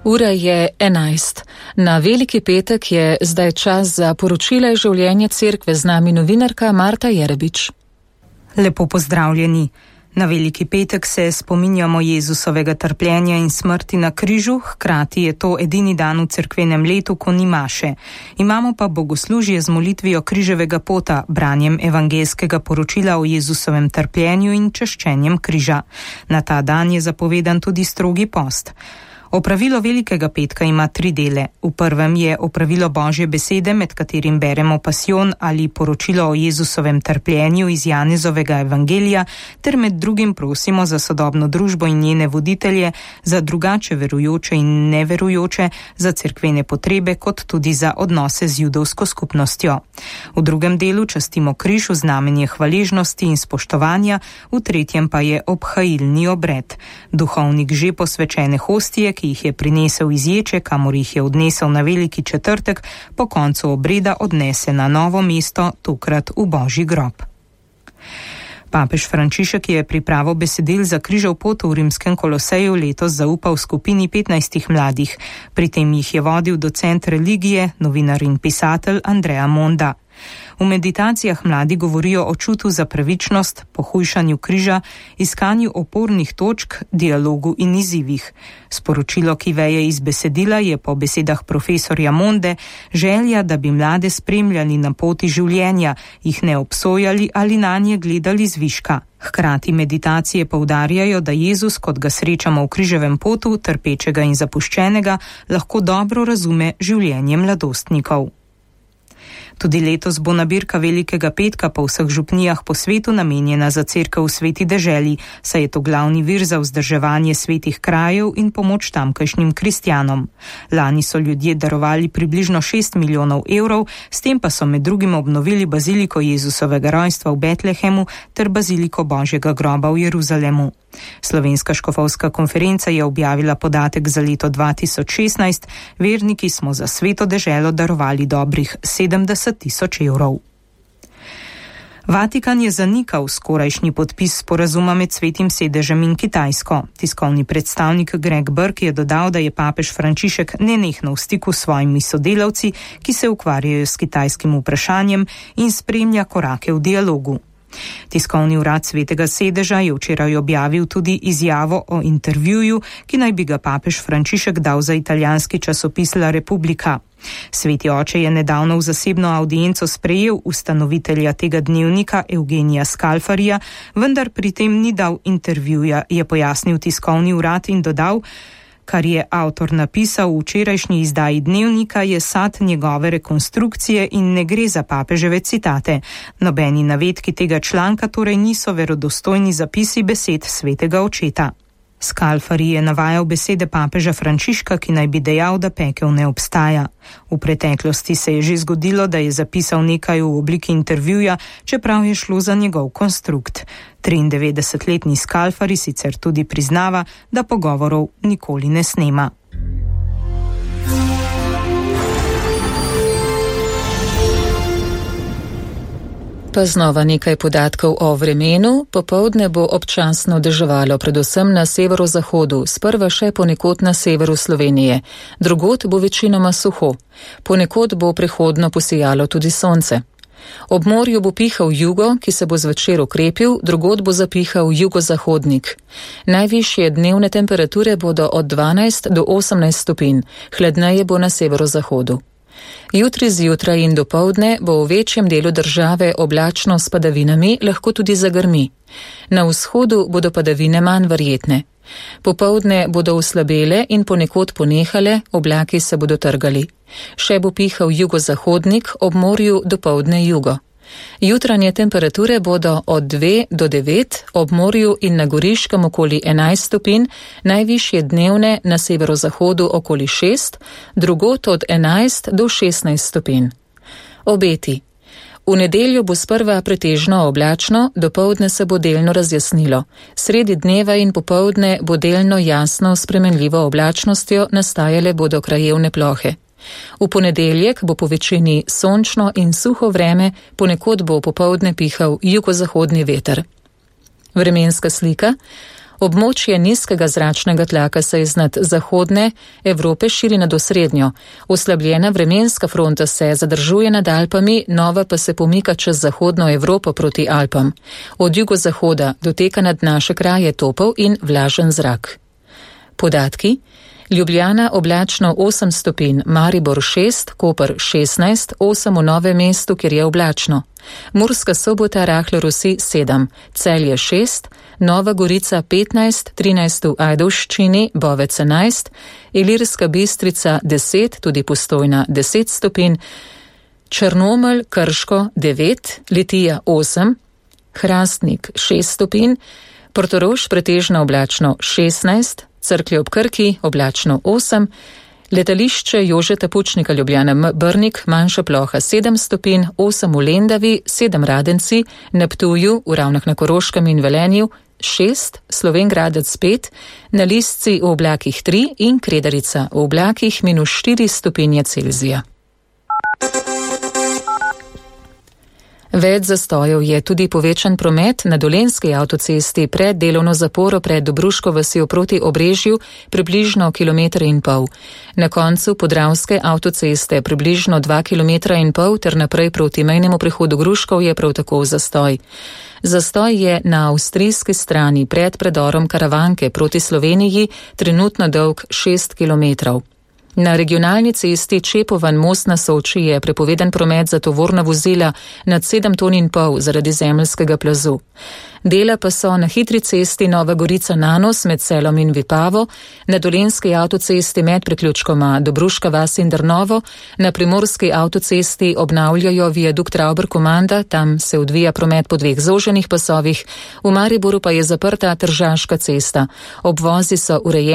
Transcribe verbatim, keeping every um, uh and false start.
Ura je enajst. Na Veliki petek je zdaj čas za poročila iz življenja cerkve, z nami novinarka Marta Jerebič. Lepo pozdravljeni. Na Veliki petek se spominjamo Jezusovega trpljenja in smrti na križu, hkrati je to edini dan v cerkvenem letu, ko ni maše. Imamo pa bogoslužje z molitvijo križevega pota, branjem evangelskega poročila o Jezusovem trpljenju in čaščenjem križa. Na ta dan je zapovedan tudi strogi post. Opravilo Velikega petka ima tri dele. V prvem je opravilo Božje besede, med katerim beremo pasijon ali poročilo o Jezusovem trpljenju iz Janezovega evangelija, ter med drugim prosimo za sodobno družbo in njene voditelje, za drugače verujoče in neverujoče, za cerkvene potrebe, kot tudi za odnose z judovsko skupnostjo. V drugem delu častimo križ v znamenje hvaležnosti in spoštovanja, v tretjem pa je obhajilni obred. Duhovnik že posvečene hostije, ki jih je prinesel iz ječe, kamor jih je odnesel na Veliki četrtek, po koncu obreda odnese na novo mesto, tokrat v Božji grob. Papež Frančišek je pripravo besedil za križev pot v rimskem Koloseju letos zaupal skupini petnajstih mladih. Pri tem jih je vodil docent religije, novinar in pisatelj Andrea Monda. V meditacijah mladi govorijo o čutu za pravičnost, pohujšanju križa, iskanju opornih točk, dialogu in izzivih. Sporočilo, ki veje iz besedila, je po besedah profesorja Monde želja, da bi mlade spremljali na poti življenja, jih ne obsojali ali nanje gledali zviška. Hkrati meditacije poudarjajo, da Jezus, kot ga srečamo v križevem potu, trpečega in zapuščenega, lahko dobro razume življenje mladostnikov. Tudi letos bo nabirka Velikega petka po vseh župnijah po svetu namenjena za cerkev v Sveti deželi, saj je to glavni vir za vzdrževanje svetih krajev in pomoč tamkajšnjim kristjanom. Lani so ljudje darovali približno šest milijonov evrov, s tem pa so med drugim obnovili baziliko Jezusovega rojstva v Betlehemu ter baziliko Božjega groba v Jeruzalemu. Slovenska škofovska konferenca je objavila podatek za leto dva tisoč šestnajst, verniki smo za Sveto deželo darovali dobrih sedemdeset tisoč evrov. Vatikan je zanikal skorajšnji podpis sporazuma med Svetim sedežem in Kitajsko. Tiskovni predstavnik Greg Burke je dodal, da je papež Frančišek nenehno v stiku s svojimi sodelavci, ki se ukvarjajo s kitajskim vprašanjem in spremlja korake v dialogu. Tiskovni urad Svetega sedeža je včeraj objavil tudi izjavo o intervjuju, ki naj bi ga papež Frančišek dal za italijanski časopis La Repubblica. Sveti oče je nedavno v zasebno audienco sprejel ustanovitelja tega dnevnika Eugenija Scalfarija, vendar pri tem ni dal intervjuja, je pojasnil tiskovni urad in dodal: kar je avtor napisal v včerajšnji izdaji dnevnika, je sad njegove rekonstrukcije in ne gre za papeževe citate. Nobeni navedki tega članka torej niso verodostojni zapisi besed svetega očeta. Scalfari je navajal besede papeža Frančiška, ki naj bi dejal, da pekel ne obstaja. V preteklosti se je že zgodilo, da je zapisal nekaj v obliki intervjuja, čeprav je šlo za njegov konstrukt. triindevetdesetletni Scalfari sicer tudi priznava, da pogovorov nikoli ne snema. Pa znova nekaj podatkov o vremenu. Popoldne bo občasno deževalo, predvsem na severozahodu, sprva še ponekod na severu Slovenije. Drugod bo večinoma suho. Ponekod bo prehodno posijalo tudi sonce. Ob morju bo pihal jugo, ki se bo zvečer okrepil, drugod bo zapihal jugozahodnik. Najvišje dnevne temperature bodo od dvanajst do osemnajst stopinj, hladneje bo na severozahodu. Jutri zjutraj in dopoldne bo v večjem delu države oblačno s padavinami, lahko tudi zagrmi. Na vzhodu bodo padavine manj verjetne. Popoldne bodo oslabele in ponekod ponehale, oblaki se bodo trgali. Še bo pihal jugozahodnik, ob morju dopoldne jugo. Jutranje temperature bodo od dve do devet, ob morju in na Goriškem okoli enajst stopinj, najvišje dnevne na severozahodu okoli šest, drugod od enajst do šestnajst stopinj. Obeti. V nedeljo bo sprva pretežno oblačno, dopoldne se bo delno razjasnilo. Sredi dneva in popoldne bo delno jasno spremenljivo oblačnostjo, nastajale bodo krajevne plohe. V ponedeljek bo po večini sončno in suho vreme, ponekod bo popoldne pihal jugozahodni veter. Vremenska slika. Območje nizkega zračnega tlaka se iznad zahodne Evrope širi nad osrednjo. Oslabljena vremenska fronta se zadržuje nad Alpami, nova pa se pomika čez zahodno Evropo proti Alpam. Od jugozahoda doteka nad naše kraje topel in vlažen zrak. Podatki. Ljubljana oblačno osem stopinj, Maribor šest, Koper šestnajst, osem v Novem mestu, kjer je oblačno. Murska Sobota rahlo rosi sedem, Celje šest, Nova Gorica petnajst, trinajst v Ajdovščini, Bovec enajst, Ilirska Bistrica deset, tudi Postojna deset stopinj, Črnomelj, Krško devet, Litija osem, Hrastnik šest stopinj, Portorož pretežno oblačno šestnajst, Cerklje ob Krki oblačno osem, letališče Jožeta Pučnika Ljubljana Brnik manjša ploha sedem stopinj, osem v Lendavi, sedem Radenci, na Ptuju, v Ravnah na Koroškem in Velenju šest, Slovenj Gradec pet, na Lisci v oblakih tri in Kredarica v oblakih minus štiri stopinje Celzija. Več zastojev je tudi povečan promet na Dolenjski avtocesti pred delovno zaporo pred Dobruško vasjo proti Obrežju približno kilometer in pol. Na koncu Podravske avtoceste približno dva kilometra in pol ter naprej proti mejnemu prehodu Gruškov je prav tako zastoj. Zastoj je na avstrijski strani pred predorom Karavanke proti Sloveniji trenutno dolg šest kilometrov. Na regionalni cesti Čepovan most na Soči je prepovedan promet za tovorna vozila nad sedem ton in pol zaradi zemeljskega plazu. Dela pa so na hitri cesti Nova Gorica Nanos med Selom in Vipavo, na Dolenjski avtocesti med priključkoma Dobruška vas in Drnovo, na Primorski avtocesti obnavljajo viadukt Ravber-Komanda, tam se odvija promet po dveh zoženih pasovih, v Mariboru pa je zaprta Tržaška cesta. Obvozi so urejeni